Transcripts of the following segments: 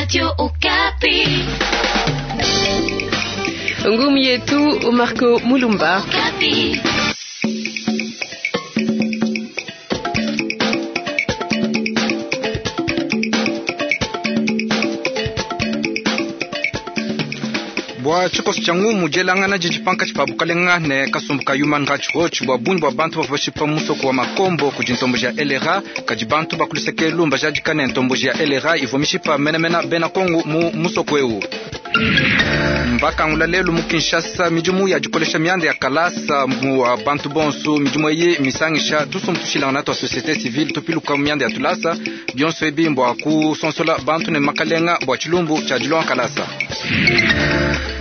Radio Okapi. Ngumi yetu Marco Mulumba. Okapi. Bua tshikoso tshia ngumu dielangana didi pankatshi pa bukalenga ne kasumbu ka Human Rights Watch bua bungi bua bantu bavua bashipa mu musoko wa Makombo kudi ntomboji ya LRA. Kadi bantu ba ku luseke elu mbajadika ne ntomboji ya LRA ivua mishipa menamena bena Kongo mu musoko eu. Mbakangula lelu mu Kinshasa midimu ya dikolesha mianda ya kalasa mu bantu bonso. Midimu eyi misangisha tusumbu tushilangana tua société civile tupiluka mu mianda ya tulasa. Bionso ebi mbua kusonsola bantu ne makalenga bua tshilumbu tshia dilonga kalasa.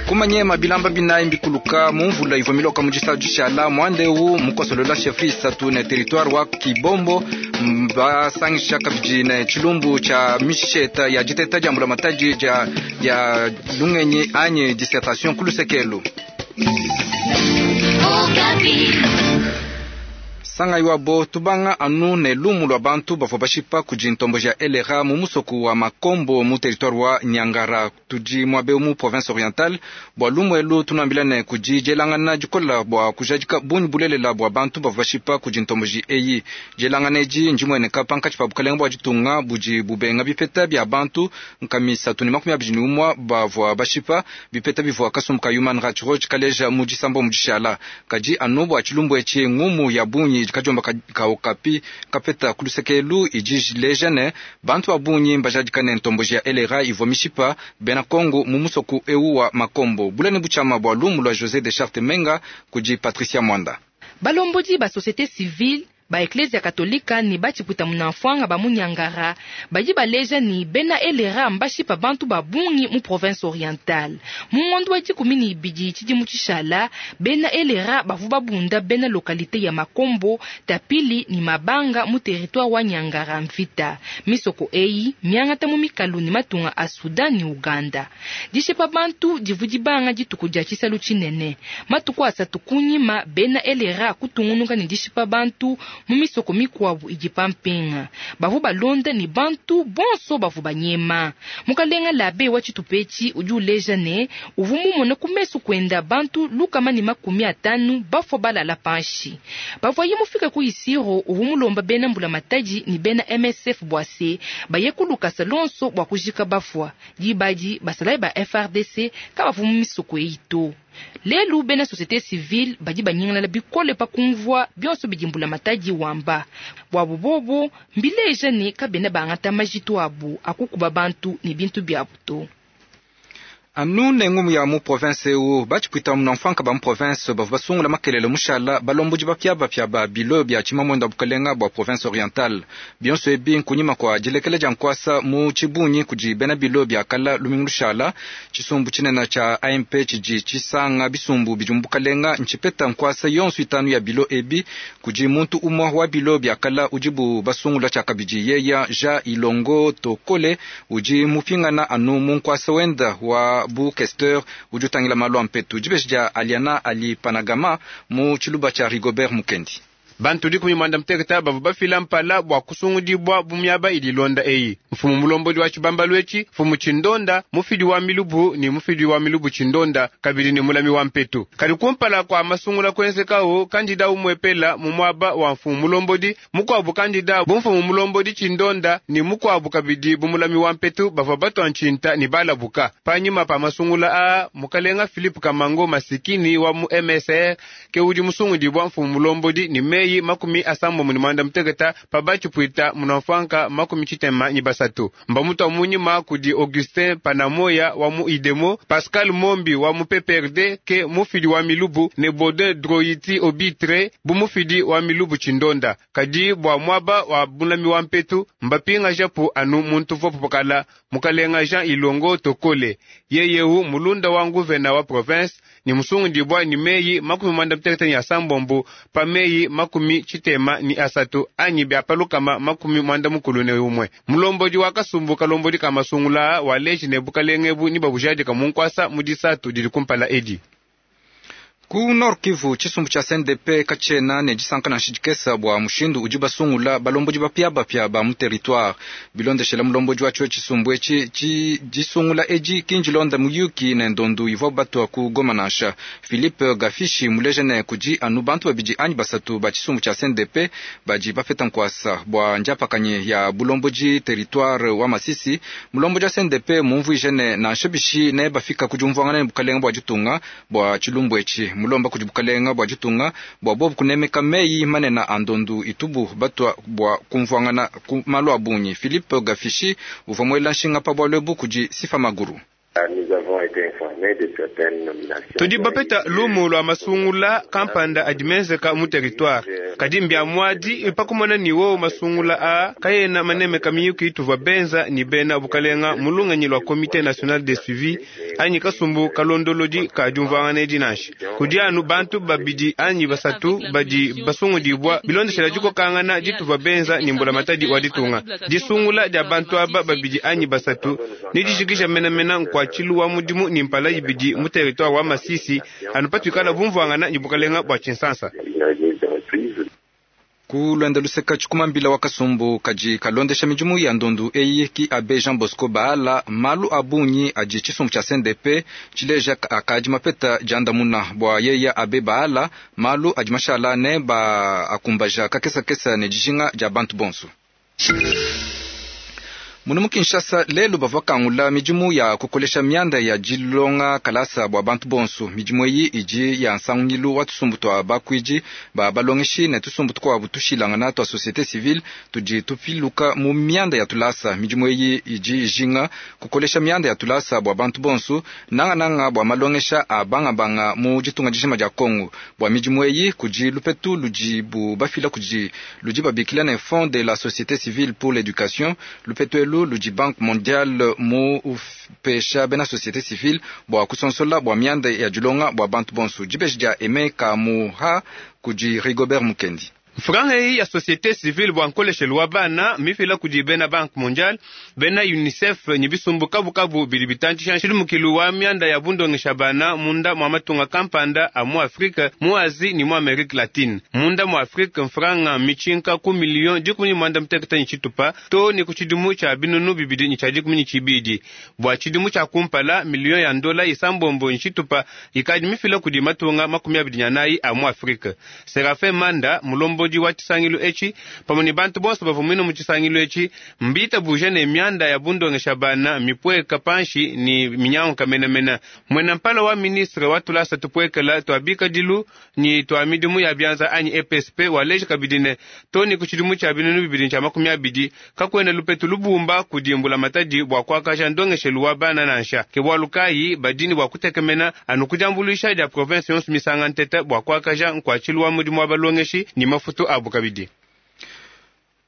Kumanyema bilamba binayi mbikuluka mu mvula ivua miloka mu disatu dishala muanda eu mukosolola chefferie isatu ne territoire wa Kibombo. Basangisha kabidi ne tshilumbu tshia misheta ya diteta dia mbulamatadi dia dia lungenyi anyi dissertation ku lusekelu. Okapi. Sangayi wabo tubanga anu ne lumu lua bantu bavua bashipa kudi ntomboji ya LRA mu musoku wa Makombo mu territoire wa Nyangara tudi muabe mu province orientale. Bua lumu elu tunuambila ne kudi dielangana dikola bua kujadika bungi bulelela bua bantu bavua bashipa kudi ntomboji eyi. Dielangana edi ndimueneka pankatshi pa bukalenga bua ditunga budi bubenga bipeta bia bantu nkama 321 bavua bashipa, bipeta bivua kasumbu ka Human Rights Watch kaleja mu disamba mu dishala. Kadi anu bua tshilumbu etshi ngumu ya bungi kadiomba ka Okapi kapeta ku luseke elu idi ileja ne bantu ba bungi mbajadika ne ntomboji ya LRA ivua mishipa bena Kongo mu musoku eu wa Makombo. Bulani butshiama bua lumu lua José de Charte Menga kudi Patricia Mwanda. Balombodi ba société civile ba eklezia katolika ne batshipuita munanfuanga ba munyangara badi baleja ni bena LRA mbashipa bantu ba bungi mu province orientale. Mu ngondo wa 12 tshidimu tshishala bena LRA bavu babunda bena localité ya Makombo, Tapili ni Mabanga mu territoire wa Nyangara mvita. Misoko eyi miangata mu mikalu ni matunga a Sudan ni Uganda. Dishipa bantu divu dibanga dituku dia tshisalu tshinene. Matuku asatu kunyima bena LRA kutungunuka ne dishipa bantu mu misoko mikuabu idi pampinga. Bavu balonda ni bantu bonso bavu banyema. Mukalenga labe wa tshitupetshi udi uleja ne uvu mumone ku mesu kwenda bantu 150 bafua balala panshi. Bavuaye mufika ku Isiro uvu mulomba bena mbula matadi ni bena MSF bwase baye kulukasa lonso bua kujika bafua. Dibadi basalayi ba FARDC kabavu mu misoko eyi to. Lelu bena société civile badi banyingalala bikole pa kumvua bionso bidi mbula matadi wamba. Bwabu bobo mbileja ne kabena bangata majitu abu akukuba bantu ne bintu biabu to. Anu ne ngumu ya mu province eu batshipuita munanfuanka ba mu province bavua basungula makelele mushala balombodi bapiabapia ba bilo bia tshimamwenda bukalenga bua province orientale. Bionso ebi nkunyima kua dilekela dia nkuasa mu tshibungi kudi bena bilo bia kala lumingu lushala. Tshisumbu tshinene tshia AMP tshidi tshisanga bisumbu bidi mu bukalenga ntshipeta nkuasa yonso itanu ya bilo ebi kudi muntu umue wa bilo bia kala udibu basungula tshiakabidi yeya Jean Ilongo Tokole udi mupingana anu mu nkuasa wenda wa bu questeur udi utangila malu a mpetu. Dibeji dia Aliana Ali Panagama mu tshiluba tshia Rigobert Mukendi. Bantu 16 bavua bafila mpala bua kusungudibua bu miaba idi ilonda eyi: mfumu mulombodi wa tshibambalu etshi, mfumu tshindonda, mufidi wa milubu ni mufidi wa milubu tshindonda, kabidi ni mulami wa mpetu. Kadi kumpala kua masungula kuenzekawo, kandida umwepela mu muaba wa mfumu mulombodi, mukuabu kandida bu mfumu mulombodi tshindonda ni mukuabu kabidi bu mulami wa mpetu bavua batua ntshinta ni balabuka. Panyima pa masungula aa, mukalenga Philippe Kamango masikini wa mu MSR ke udi musungudibua mfumu mulombodi ni meyi 98 pa batshipuita munanfuanka 63. Mbamutua munyima kudi Augustin Panamoya wa mu Idemo, Pascal Mombi wa mu PPRD ke mufidi wa milubu ne Baudin Droiti Obitre bu mufidi wa milubu tshindonda. Kadi bua muaba wa bulami wa mpetu mbapinga japu anu muntu vopo pakala mukalenga Jean Ilongo Tokole yeyehu mulunda wa nguvena wa province ni musungudibua ni meyi 96 pa meyi 73 anyi bia palukama 91. Mulombodi wa kasumbu kalombodi ka masungula wa leji ne bukalenga ebu ni babujadika mu nkuasa mu disatu didi kumpala edi. Ku Nord Kivu, tshisumbu tshia CNDP katshiena ne disanka nansha dikese bua mushindu udi basungula balombodi bapiabapia ba mu territoire. Bilondeshela mulombodi watshio tshisumbu etshi, disungula edi ki ndilonda muyuki ne ndondu ivuabu batua ku Goma nansha. Philippe Gafishi muleja ne kudi anu bantu babidi anyi basatu ba tshisumbu tshia CNDP badi bapeta nkuasa bua ndiapakanyi ya bulombodi territoire wa Masisi. Mulombodi wa CNDP mumvuije ne nansha bishi ne bafika ku diumvuangana ne bukalenga bua ditunga bua tshilumbu etshi. Mulomba kudi bukalenga bua ditunga bua bobu kunemeka meyi manene a ndondu itubu batua bua kumvuangana ku malu a bungi. Philippe Gafishi uvua muela nshinga pa bualu ebu kudi Sifa Maguru. Tudi bapeta lumu lua masungula kampanda adi menzeka mu territoire, kadi mbia muadi pakumona ni wowo masungula a kayena manemeka miyuki tuvua benza ni bena bukalenga mu lungenyi lua Comité national de suivi anyi kasumbu kalondolodi ka diumvuangana edi nansha. Kudi anu bantu babidi anyi basatu badi basungudibua bilondeshela dikokangana dituvua benza ni mbulamatadi wa ditunga. Disungula dia bantu aba babidi anyi basatu ni dijikija menamena nkuatshilu wa mudimu ni mpala ibidi mu territoire wa Masisi anu patuikala bumvuangana ni bukalenga bua Tshinsansa. Ku luenda luseka tshikumambila wa kasumbu kadi kalondesha midimu ya ndondu eyi ki abe Jean Bosco Baala malu a bungi adi tshisumbu tshia CNDP tshileja akadi mapeta diandamuna bua yeya abe Baala malu adi mashala ne ba akumbaja kakesakesa ne dijinga dia bantu bonso. Munu mu Kinshasa lelu bavua kangula midimu ya kukolesha mianda ya dilonga kalasa bua bantu bonso. Midimu eyi idi ya nsangilu wa tusumbu tua bakuidi ba balongeshi ne tusumbu tukuabu tushilangana tua société civile tudi tupiluka mu mianda ya tulasa. Midimu eyi idi ijinga kukolesha mianda ya tulasa bua bantu bonso, nangananga bua malongesha a bangabanga mu ditunga dijima dia Kongo. Bua midimu eyi kudi lupetu ludibu bafila kudi ludi babikila ne Fonds de la société civile pour l'éducation. Lupetu elu ludi Banque mondiale mu upesha bena société civile bua kusonsola bua mianda ya dilonga bua bantu bonso. Dibeji dia Aime Kamuha kudi Rigobert Mukendi. Franga eyi ya société civile bua nkoleshelu wa bana mifila kudi bena Banque mondiale, bena UNICEF ni bisumbu kabukabu bidi bitantshisha nshilimukilu wa mianda ya bundongesha bana munda mua matunga kampanda a mu Afrika, mu Asie ni mu Amerique latine. Munda mu Afrika mfranga michinka ku miliyon 18 ni tshitupa to ni ku tshidimu tshia 2022 ni tshia 20. Bua tshidimu tshia kumpala miliyon ya ndola isambombo ni tshitupa ikadi mifila kudi matunga 24 a mu Afrika. Serafin Manda mulombodi wa tshisangilu etshi pamwe ni bantu bonso bavua mwine mu tshisangilu etshi mbita buja ne mianda ya bundongesha bana mipweka panshi ni minyanguka menamena. Mwena mpala wa ministre wa tulasa tupwekela tua bikadilu ni tua midimu ya bianza anyi EPSP waleja kabidi ne to ni ku tshidimu tshia 2020 kakwena lupetu lubumba kudimbula matadi bua kuakaja ndongeshelu wa bana nansha. Ke bualu kayi badini bua kutekemena anu kudiambuluisha dia province yonso misanga ntete bua kuakaja nkuatshilu wa mudimu wa balongeshi ni mafutu abu kabidi.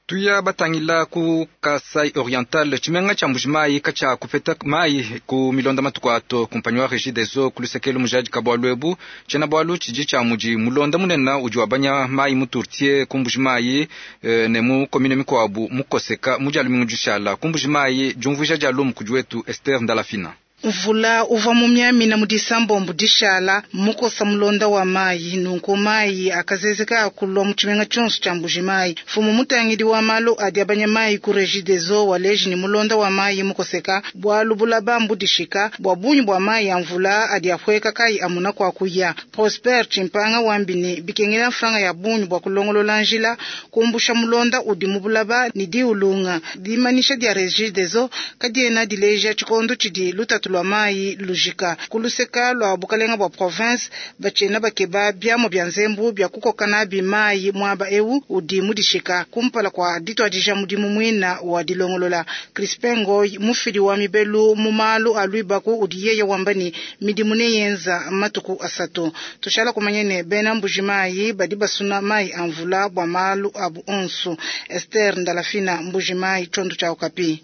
Tuya batangila ku Kasai Oriental tshimenga tshia Mbuji-Mayi katshia kupeta mayi ku milonda matuku ato. Kumpanyi wa Regie des Eaux ku lusekelu mujadi ka bualu ebu tshiena bualu tshidi tshia mudi mulonda munene udi wabanya mayi mu Tourtier ku Mbuji-Mayi ne mu commune mikuabu mukoseka mu dia lumingu dishala ku Mbuji-Mayi. Diumvuija dia lumu kudi wetu Esther Ndalafina. Mvula uvua mumiamina mu disambombo dishala mukosa mulonda wa mayi, nunku mayi akazezeka akulua mu tshimenga tshionso tshia Mbuji-Mayi. Mfumu mutangidi wa malu adi abanya mayi ku Regie des Eaux waleji ni mulonda wa mayi mukoseka bualu bulaba mbudishika bua bungi bua mayi a mvula adi apueka kayi amuna kwa kuya. Prosper Chimpanga wambini bikengela mfranga ya bungi bua kulongolola njila kumbusha mulonda udi mu bulaba ni diulunga. Dimanisha dia Regie des Eaux kadiena dileja tshikondo tshidi lutatu lwa mayi lujika kuluseka lwa bukalenga bua province bachena bakeba biamo bya nzembu bya kukoka nabi mayi mwaba ewu udi mudishika kumpala kwa ditwadija mudimu mwina wa dilongolola. Crispin Ngoy mufidi wa mibelu mu malu alwibaku udi yeye wambani midimu ne yenza matuku asatu. Tushala kumanya ne bena Mbuji-Mayi badi basuna mayi a mvula bua malu abu onsu. Esther Ndalafina, Mbuji-Mayi, Tshondu tshia Okapi.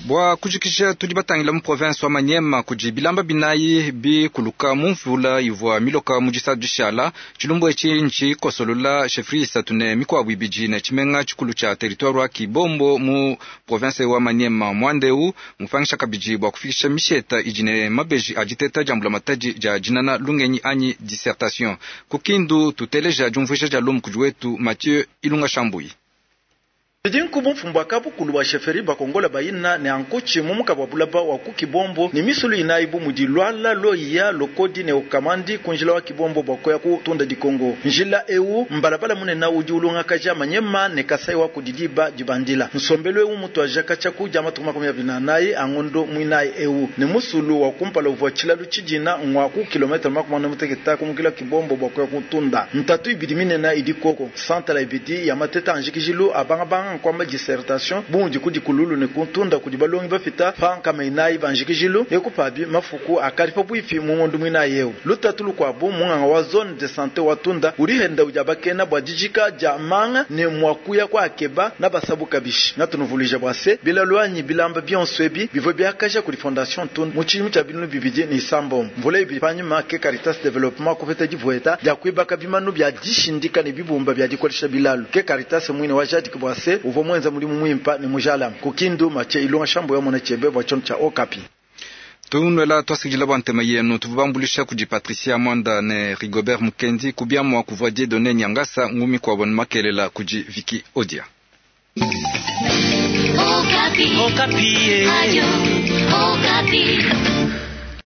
Bua kujikija, tudi batangila mu province wa Maniema kudi bilamba binayi bikuluka mu mvula ivua miloka mu disatu dishala. Tshilumbu etshi ntshikosolola chefferie isatu ne mikuabu ibidi ne tshimenga tshikulu tshia territoire wa Kibombo mu province wa Maniema. Muanda eu mupangisha kabidi bua kufikisha misheta idi ne mabeji a diteta dia mbulamatadi dia dinana lungenyi anyi dissertation. Ku Kindu tuteleja diumvuija dia lumu kudi wetu Mathieu Ilunga Shambuyi. Bidi nku bumfumu bua kabukulu bua chefferie bakongola bayina ne ankuchi mu muka bua bulaba wa ku Kibombo ne misulu inayi bu mudi Lwala, Loiya, Lokodi ne Okamandi ku njila wa Kibombo bua kuya ku Tunda Dikongo. Njila eu mbalabala munene udi ulongakaja Manyema ne Kasai wa kudi diba dibandila. Nsombelu eu mutuaja katshia ku dia matuku 24 a ngondo muinayi eu ne musulu wa kumpala uvua tshilalu tshidina ngua ku kilometre 46 kumukila Kibombo bua kuya ku Tunda. Ntatu ibidi minene idi koko santala ibidi ya mateta a njikijilu a bangabanga nkuamba dissertation bu mudi ku dikululu ne ku Tunda kudi balongi bapita pa nkama inayi ba njikijilu eku pabi mafuku akadi pabuipi mu ngondo muinayi eu. Lutatu lukuabu munganga wa zone de sante wa Tunda udi henda udi abakena bua dijika dia manga ne mua kuya kwa akeba na basabu kabishi. Natunuvuluija bua se bilalu anyi bilamba bionso ebi bivua biakaja kudi fondation Tunda mu tshidimu tshia binunu bibidi ne isambombo. Mvula ibidi panyima ke Caritas Development kupeta divueta dia kuibaka bimanu bia dishindika ne bibumba bia dikolesha bilalu. Ke Caritas muine wa jadiki bua se uvua muenza mudimu muimpa ne mujalame. Ku Kindu Mathieu Ilunga Shambuyi wa mona tshiebe bua tshiondo tshia Okapi. Tunwela twasikidila bua ntema yenu tuvua kudi Patricia Mwanda ne Rigobert Mukendi kubiamua kuvua Dieudonné Nyangasa ngumi kuabo ne makelela kudi Vicky Odia. Okapi. Okapi. Radio Okapi.